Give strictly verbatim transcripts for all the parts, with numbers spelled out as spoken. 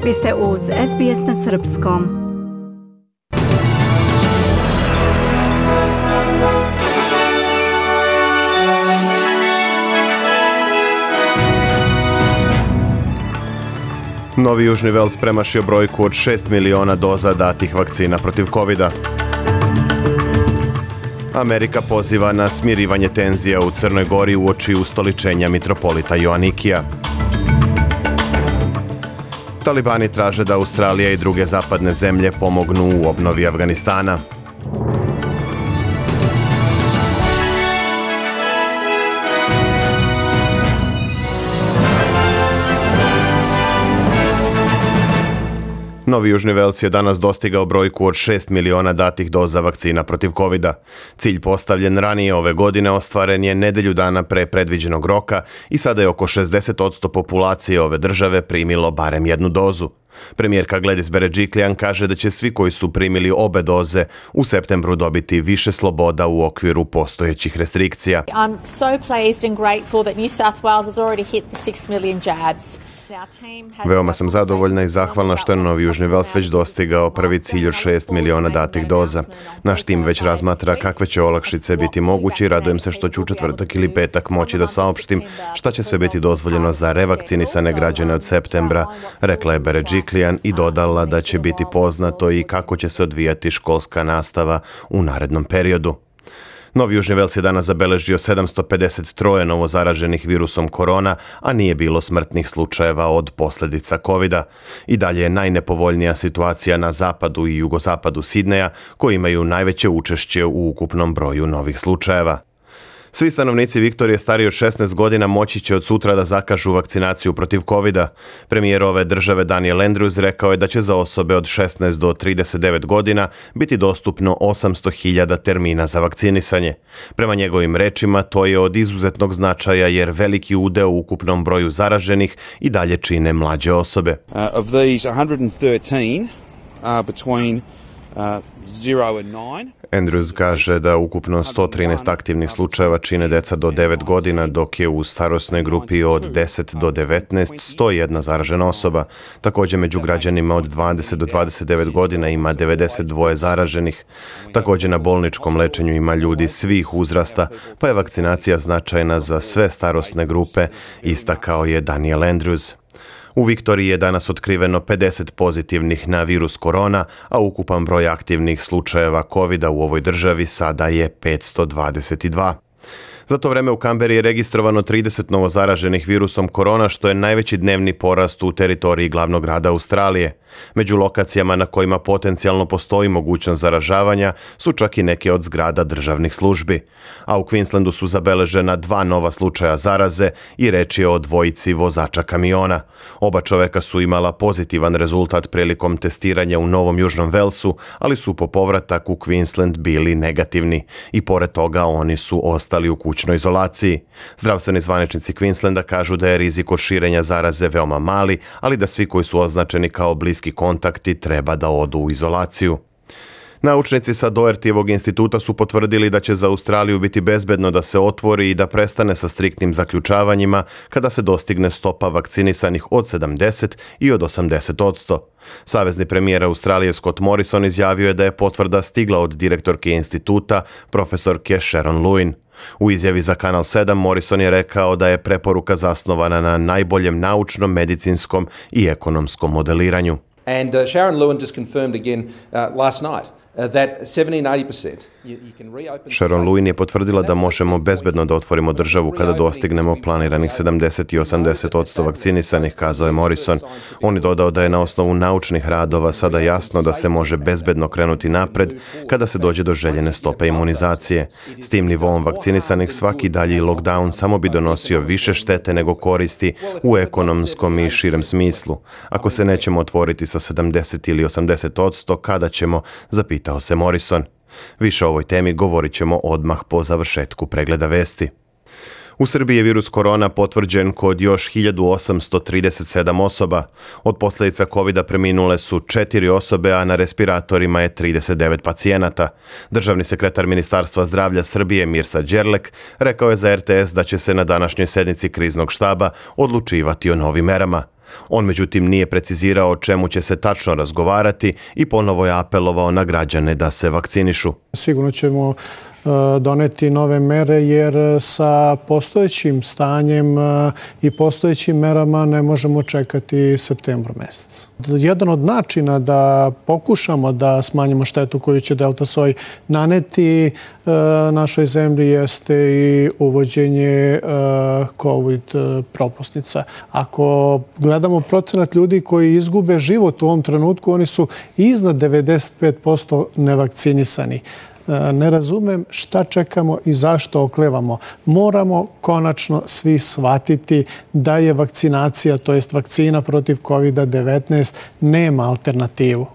Vi ste uz S B S na srpskom. Novi Južni Vels premašio brojku od šest miliona doza datih vakcina protiv kovida. Amerika poziva na smirivanje tenzija u Crnoj Gori uoči ustoličenja mitropolita Joanikija. Talibani traže da Australija i druge zapadne zemlje pomognu u obnovi Afganistana. Novi Južni Vels je danas dostigao brojku od šest miliona datih doza vakcina protiv kovida. Cilj postavljen ranije ove godine ostvaren je nedelju dana pre predviđenog roka i sada je oko šezdeset posto populacije ove države primilo barem jednu dozu. Premijerka Gladys Berejiklian kaže da će svi koji su primili obe doze u septembru dobiti više sloboda u okviru postojećih restrikcija. I'm so pleased and grateful that New South Wales has already hit the six million jabs. Veoma sam zadovoljna i zahvalna što je Novi Južni Vels već dostigao prvi cilj od šest miliona datih doza. Naš tim već razmatra kakve će olakšice biti moguće i radujem se što ću u četvrtak ili petak moći da saopštim šta će sve biti dozvoljeno za revakcinisane građane od septembra, rekla je Berejiklian i dodala da će biti poznato i kako će se odvijati školska nastava u narednom periodu. Novi Južni Vels je danas zabeležio sedamsto pedeset tri novo zaraženih virusom korona, a nije bilo smrtnih slučajeva od posljedica kovida. I dalje je najnepovoljnija situacija na zapadu i jugozapadu Sidneja, koji imaju najveće učešće u ukupnom broju novih slučajeva. Svi stanovnici Viktorije stariji od šesnaest godina moći će od sutra da zakažu vakcinaciju protiv kovida. Premijer ove države Daniel Andrews rekao je da će za osobe od šesnaest do trideset devet godina biti dostupno osamsto hiljada termina za vakcinisanje. Prema njegovim rečima, to je od izuzetnog značaja jer veliki udeo u ukupnom broju zaraženih i dalje čine mlađe osobe. Uh, of these one hundred thirteen are between uh, zero and nine. Andrews kaže da ukupno sto trinaest aktivnih slučajeva čine deca do devet godina, dok je u starosnoj grupi od deset do devetnaest sto jedna zaražena osoba. Također među građanima od dvadeset do dvadeset devet godina ima devedeset dva zaraženih. Također na bolničkom lečenju ima ljudi svih uzrasta, pa je vakcinacija značajna za sve starosne grupe, istakao je Daniel Andrews. U Viktoriji je danas otkriveno pedeset pozitivnih na virus korona, a ukupan broj aktivnih slučajeva kovida u ovoj državi sada je petsto dvadeset dva. Za to vreme u Kamberi je registrovano trideset novozaraženih virusom korona, što je najveći dnevni porast u teritoriji glavnog grada Australije. Među lokacijama na kojima potencijalno postoji mogućnost zaražavanja su čak i neke od zgrada državnih službi. A u Queenslandu su zabeležena dva nova slučaja zaraze i reč je o dvojici vozača kamiona. Oba čoveka su imala pozitivan rezultat prilikom testiranja u Novom Južnom Velsu, ali su po povratak u Queensland bili negativni i pored toga oni su ostali u kućnoj izolaciji. Zdravstveni zvaničnici Queenslanda kažu da je rizik od širenja zaraze veoma mali, ali da svi koji su označeni kao bliski kontakti treba da odu u izolaciju. Naučnici sa Dohertyjevog instituta su potvrdili da će za Australiju biti bezbedno da se otvori i da prestane sa striktnim zaključavanjima kada se dostigne stopa vakcinisanih od sedamdeset i od osamdeset posto. Savezni premijer Australije Scott Morrison izjavio je da je potvrda stigla od direktorke instituta, profesorke Sharon Lewin. U izjavi za Kanal sedam Morrison je rekao da je preporuka zasnovana na najboljem naučnom, medicinskom i ekonomskom modeliranju. And uh, Sharon Lewin just confirmed again uh, last night uh, that seventy to eighty percent you, you can reopen. Sharon Lewin je potvrdila da možemo bezbedno da otvorimo državu kada dostignemo planiranih sedamdeset i osamdeset posto vakcinisanih, kazao je Morrison. On je dodao da je na osnovu naučnih radova sada jasno da se može bezbedno krenuti napred kada se dođe do željene stope imunizacije. S tim nivoom vakcinisanih svaki dalji lockdown samo bi donosio više štete nego koristi u ekonomskom i širem smislu. Ako se nećemo otvoriti sa sedamdeset ili osamdeset posto, kada ćemo, zapitao se Morrison. Više o ovoj temi govorit ćemo odmah po završetku pregleda vesti. U Srbiji je virus korona potvrđen kod još hiljadu osamsto trideset sedam osoba. Od posljedica kovida preminule su četiri osobe, a na respiratorima je trideset devet pacijenata. Državni sekretar Ministarstva zdravlja Srbije Mirsa Đerlek rekao je za er te es da će se na današnjoj sednici kriznog štaba odlučivati o novim merama. On međutim nije precizirao o čemu će se tačno razgovarati i ponovo je apelovao na građane da se vakcinišu. Sigurno ćemo doneti nove mere jer sa postojećim stanjem i postojećim merama ne možemo čekati septembar mesec. Jedan od načina da pokušamo da smanjimo štetu koju će delta soj naneti našoj zemlji jeste i uvođenje COVID propusnica. Ako gledamo procenat ljudi koji izgube život u ovom trenutku, oni su iznad devedeset pet posto nevakcinisani. Ne razumem šta čekamo i zašto oklevamo. Moramo konačno svi shvatiti da je vakcinacija, to jest vakcina protiv kovida devetnaest, nema alternativu.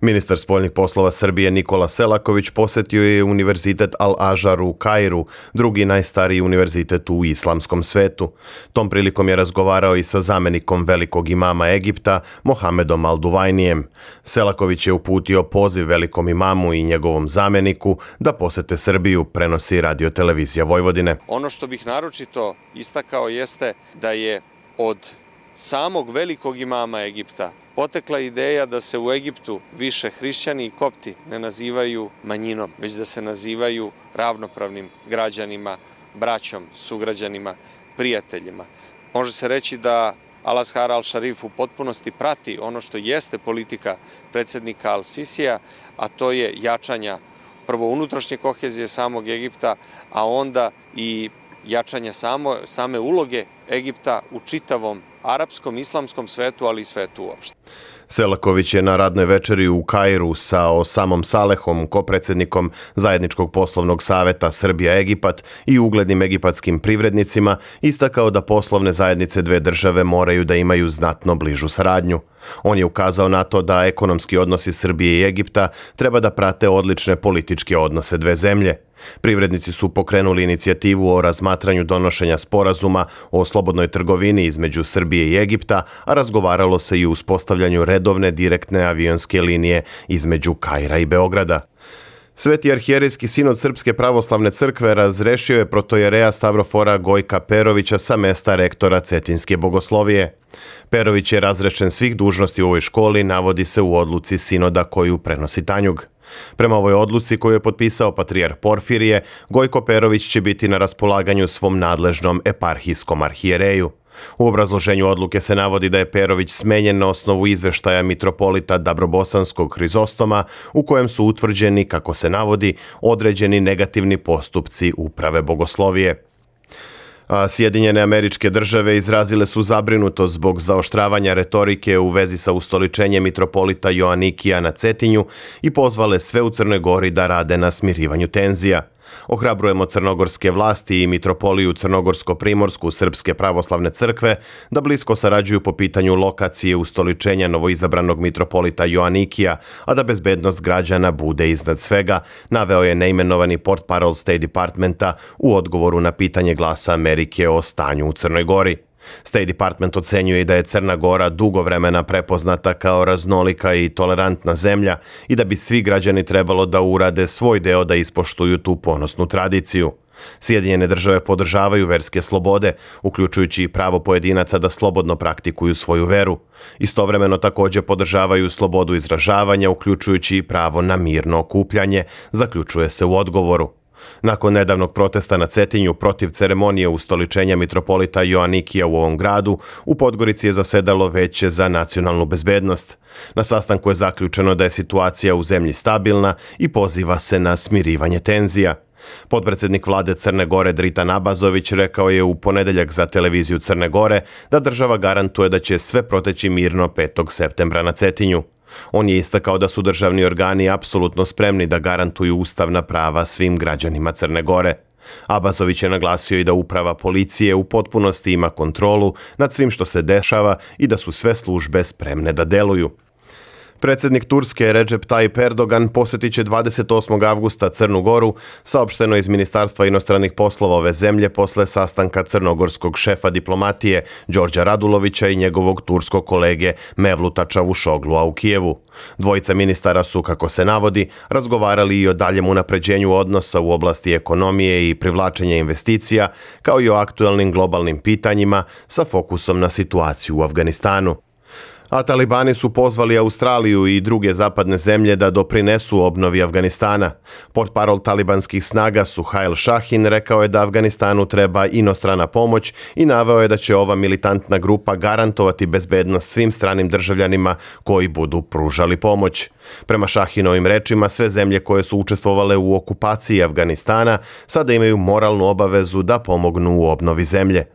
Ministar spoljnih poslova Srbije Nikola Selaković posjetio je Univerzitet Al-Azhar u Kairu, drugi najstariji univerzitet u islamskom svetu. Tom prilikom je razgovarao i sa zamenikom velikog imama Egipta, Mohamedom Al-Duvajnijem. Selaković je uputio poziv velikom imamu i njegovom zameniku da posete Srbiju, prenosi Radio-televizija Vojvodine. Ono što bih naročito istakao jeste da je od samog velikog imama Egipta potekla ideja da se u Egiptu više hrišćani i kopti ne nazivaju manjinom, već da se nazivaju ravnopravnim građanima, braćom, sugrađanima, prijateljima. Može se reći da Al-Azhar al-Sharif u potpunosti prati ono što jeste politika predsjednika Al-Sisija, a to je jačanja prvo unutrašnje kohezije samog Egipta, a onda i jačanja samo, same uloge Egipta u čitavom arapskom, islamskom svetu, ali i svetu uopšte. Selaković je na radnoj večeri u Kairu sa Osamom Salehom, kopredsjednikom Zajedničkog poslovnog saveta Srbija-Egipat i uglednim egipatskim privrednicima, istakao da poslovne zajednice dve države moraju da imaju znatno bližu saradnju. On je ukazao na to da ekonomski odnosi Srbije i Egipta treba da prate odlične političke odnose dve zemlje. Privrednici su pokrenuli inicijativu o razmatranju donošenja sporazuma o slobodnoj trgovini između Srbije i Egipta, a razgovaralo se i o uspostavljanju redovne direktne avionske linije između Kaira i Beograda. Sveti arhijerejski sinod Srpske pravoslavne crkve razrešio je protojereja Stavrofora Gojka Perovića sa mesta rektora Cetinske bogoslovije. Perović je razrešen svih dužnosti u ovoj školi, navodi se u odluci sinoda koju prenosi Tanjug. Prema ovoj odluci koju je potpisao patrijarh Porfirije, Gojko Perović će biti na raspolaganju svom nadležnom eparhijskom arhijereju. U obrazloženju odluke se navodi da je Perović smenjen na osnovu izveštaja mitropolita Dabrobosanskog Hrizostoma, u kojem su utvrđeni, kako se navodi, određeni negativni postupci uprave bogoslovije. A Sjedinjene Američke Države izrazile su zabrinutost zbog zaoštravanja retorike u vezi sa ustoličenjem mitropolita Joanikija na Cetinju i pozvale sve u Crnoj Gori da rade na smirivanju tenzija. Ohrabrujemo crnogorske vlasti i mitropoliju Crnogorsko-Primorsku Srpske pravoslavne crkve da blisko sarađuju po pitanju lokacije ustoličenja novoizabranog mitropolita Joanikija, a da bezbednost građana bude iznad svega, naveo je neimenovani portparol State Departmenta u odgovoru na pitanje Glasa Amerike o stanju u Crnoj Gori. State Department ocenjuje da je Crna Gora dugo vremena prepoznata kao raznolika i tolerantna zemlja i da bi svi građani trebalo da urade svoj deo da ispoštuju tu ponosnu tradiciju. Sjedinjene države podržavaju verske slobode, uključujući i pravo pojedinaca da slobodno praktikuju svoju veru. Istovremeno također podržavaju slobodu izražavanja, uključujući i pravo na mirno okupljanje, zaključuje se u odgovoru. Nakon nedavnog protesta na Cetinju protiv ceremonije ustoličenja mitropolita Joanikija u ovom gradu, u Podgorici je zasedalo Veće za nacionalnu bezbednost. Na sastanku je zaključeno da je situacija u zemlji stabilna i poziva se na smirivanje tenzija. Potpredsjednik vlade Crne Gore Dritan Abazović rekao je u ponedeljak za televiziju Crne Gore da država garantuje da će sve proteći mirno petog septembra na Cetinju. On je istakao da su državni organi apsolutno spremni da garantuju ustavna prava svim građanima Crne Gore. Abazović je naglasio i da uprava policije u potpunosti ima kontrolu nad svim što se dešava i da su sve službe spremne da deluju. Predsjednik Turske Recep Tayyip Erdogan posjetit će dvadeset osmog avgusta Crnu Goru, saopšteno iz Ministarstva inostranih poslova ove zemlje posle sastanka crnogorskog šefa diplomatije Đorđa Radulovića i njegovog turskog kolege Mevluta Čavušoglua u Kijevu. Dvojica ministara su, kako se navodi, razgovarali i o daljem unapređenju odnosa u oblasti ekonomije i privlačenja investicija, kao i o aktuelnim globalnim pitanjima sa fokusom na situaciju u Afganistanu. A talibani su pozvali Australiju i druge zapadne zemlje da doprinesu obnovi Afganistana. Portparol talibanskih snaga Suhail Shahin rekao je da Afganistanu treba inostrana pomoć i naveo je da će ova militantna grupa garantovati bezbednost svim stranim državljanima koji budu pružali pomoć. Prema Shahinovim rečima, sve zemlje koje su učestvovale u okupaciji Afganistana sada imaju moralnu obavezu da pomognu u obnovi zemlje.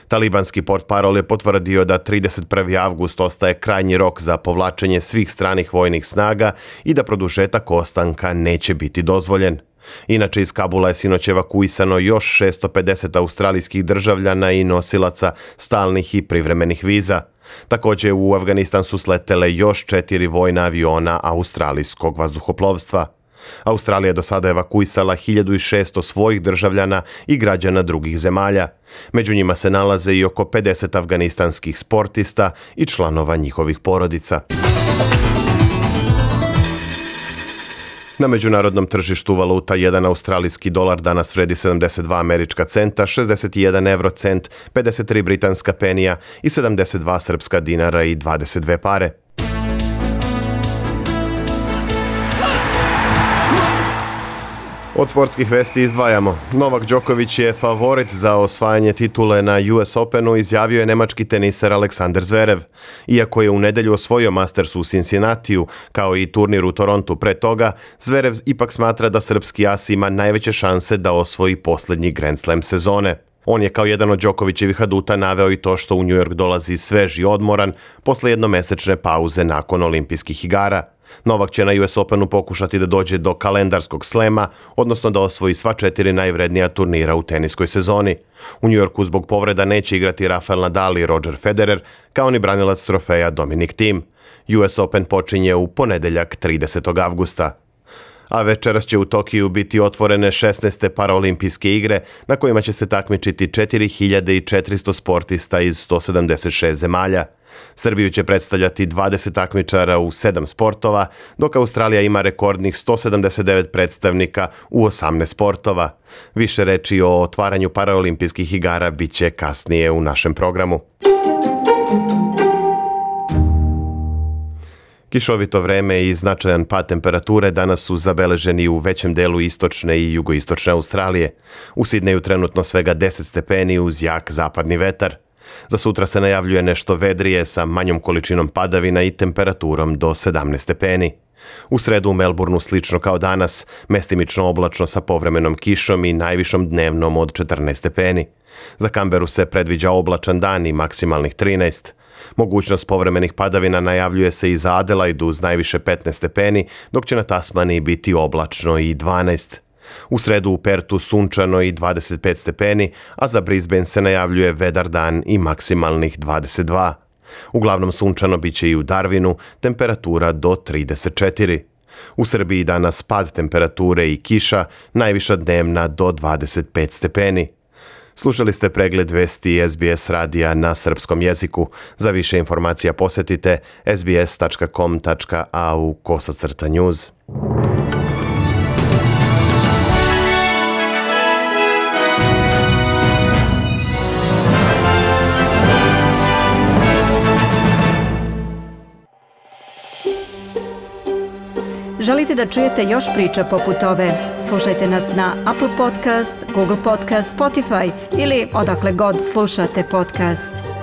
Talibanski portparol je potvrdio da trideset prvi avgust ostaje krajnji rok za povlačenje svih stranih vojnih snaga i da produžetak ostanka neće biti dozvoljen. Inače, iz Kabula je sinoć evakuisano još šesto pedeset australijskih državljana i nosilaca stalnih i privremenih viza. Također u Afganistan su sletele još četiri vojna aviona australijskog vazduhoplovstva. Australija je do sada evakuisala hiljadu šesto svojih državljana i građana drugih zemalja. Među njima se nalaze i oko pedeset afganistanskih sportista i članova njihovih porodica. Na međunarodnom tržištu valuta jedan australijski dolar danas vredi sedamdeset dva američka centa, šezdeset jedan euro cent, pedeset tri britanska penija i sedamdeset dva srpska dinara i dvadeset dve pare. Od sportskih vesti izdvajamo. Novak Đoković je favorit za osvajanje titule na U S Openu, izjavio je nemački teniser Aleksandar Zverev. Iako je u nedelju osvojio Masters u Cincinnatiju, kao i turnir u Torontu pre toga, Zverev ipak smatra da srpski as ima najveće šanse da osvoji posljednji Grand Slam sezone. On je kao jedan od Đokovićevih aduta naveo i to što u New York dolazi svež i odmoran posle jednomesečne pauze nakon olimpijskih igara. Novak će na U S Openu pokušati da dođe do kalendarskog slema, odnosno da osvoji sva četiri najvrednija turnira u teniskoj sezoni. U New Yorku zbog povreda neće igrati Rafael Nadal i Roger Federer, kao ni branilac trofeja Dominic Thiem. U S Open počinje u ponedeljak tridesetog avgusta. A večeras će u Tokiju biti otvorene šesnaeste paraolimpijske igre na kojima će se takmičiti četiri hiljade četiristo sportista iz sto sedamdeset šest zemalja. Srbiju će predstavljati dvadeset takmičara u sedam sportova, dok Australija ima rekordnih sto sedamdeset devet predstavnika u osamnaest sportova. Više reči o otvaranju paraolimpijskih igara bit će kasnije u našem programu. Kišovito vreme i značajan pad temperature danas su zabeleženi u većem delu istočne i jugoistočne Australije. U Sidneju trenutno svega deset stepeni uz jak zapadni vetar. Za sutra se najavljuje nešto vedrije sa manjom količinom padavina i temperaturom do sedamnaest stepeni. U sredu u Melbourneu slično kao danas, mestimično oblačno sa povremenom kišom i najvišom dnevnom od četrnaest stepeni. Za Kamberu se predviđa oblačan dan i maksimalnih trinaest. Mogućnost povremenih padavina najavljuje se i za Adelaidu uz najviše petnaest stepeni, dok će na Tasmaniji biti oblačno i dvanaest. U sredu u Pertu sunčano i dvadeset pet stepeni, a za Brisbane se najavljuje vedar dan i maksimalnih dvadeset dva. Uglavnom sunčano bit će i u Darwinu, temperatura do trideset četiri. U Srbiji danas pad temperature i kiša, najviša dnevna do dvadeset pet stepeni. Slušali ste pregled vesti S B S radija na srpskom jeziku. Za više informacija posjetite s b s tačka com tačka a u kosacrta news. Želite da čujete još priča poput ove? Slušajte nas na Apple Podcast, Google Podcast, Spotify ili odakle god slušate podcast.